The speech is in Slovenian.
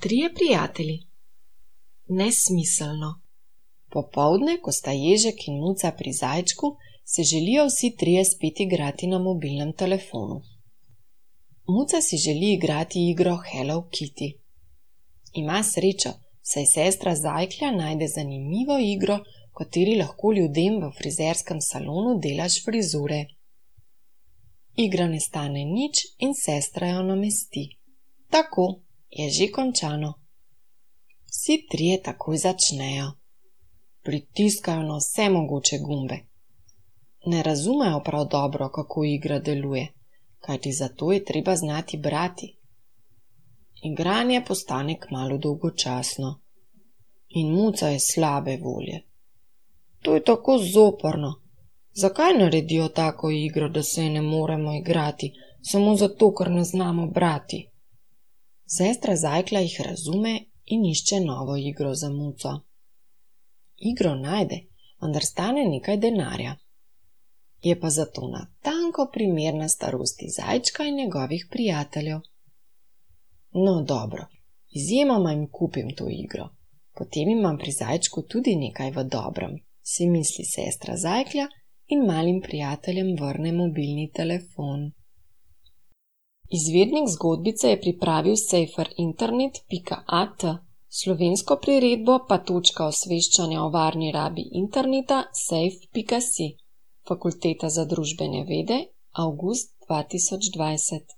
Trije prijatelji. Nesmiselno. Popoldne, ko sta Ježek in Muca pri zajčku, se želijo vsi trije spet igrati na mobilnem telefonu. Muca si želi igrati igro Hello Kitty. Ima srečo, saj sestra Zajklja najde zanimivo igro, v kateri lahko ljudem v frizerskem salonu delaš frizure. Igra ne stane nič in sestra jo namesti. Tako, je že končano. Vsi trije takoj začnejo. Pritiskajo na vse mogoče gumbe. Ne razumejo prav dobro, kako igra deluje, kajti zato je treba znati brati. Igranje postane kmalu dolgočasno. In Muca je slabe volje. To je tako zoprno. Zakaj naredijo tako igro, da se je ne moremo igrati, samo zato, ker ne znamo brati? Sestra Zajklja jih razume in išče novo igro za Muco. Igro najde, vendar stane nekaj denarja. Je pa zato natanko primerna starosti zajčka in njegovih prijateljev. No dobro, izjemoma jim kupim to igro. Potem imam pri zajčku tudi nekaj v dobrem, si misli sestra Zajklja in malim prijateljem vrne mobilni telefon. Izvirnik zgodbice je pripravil saferinternet.at, slovensko priredbo pa točka osveščanja o varni rabi interneta safe.si, Fakulteta za družbene vede, avgust 2020.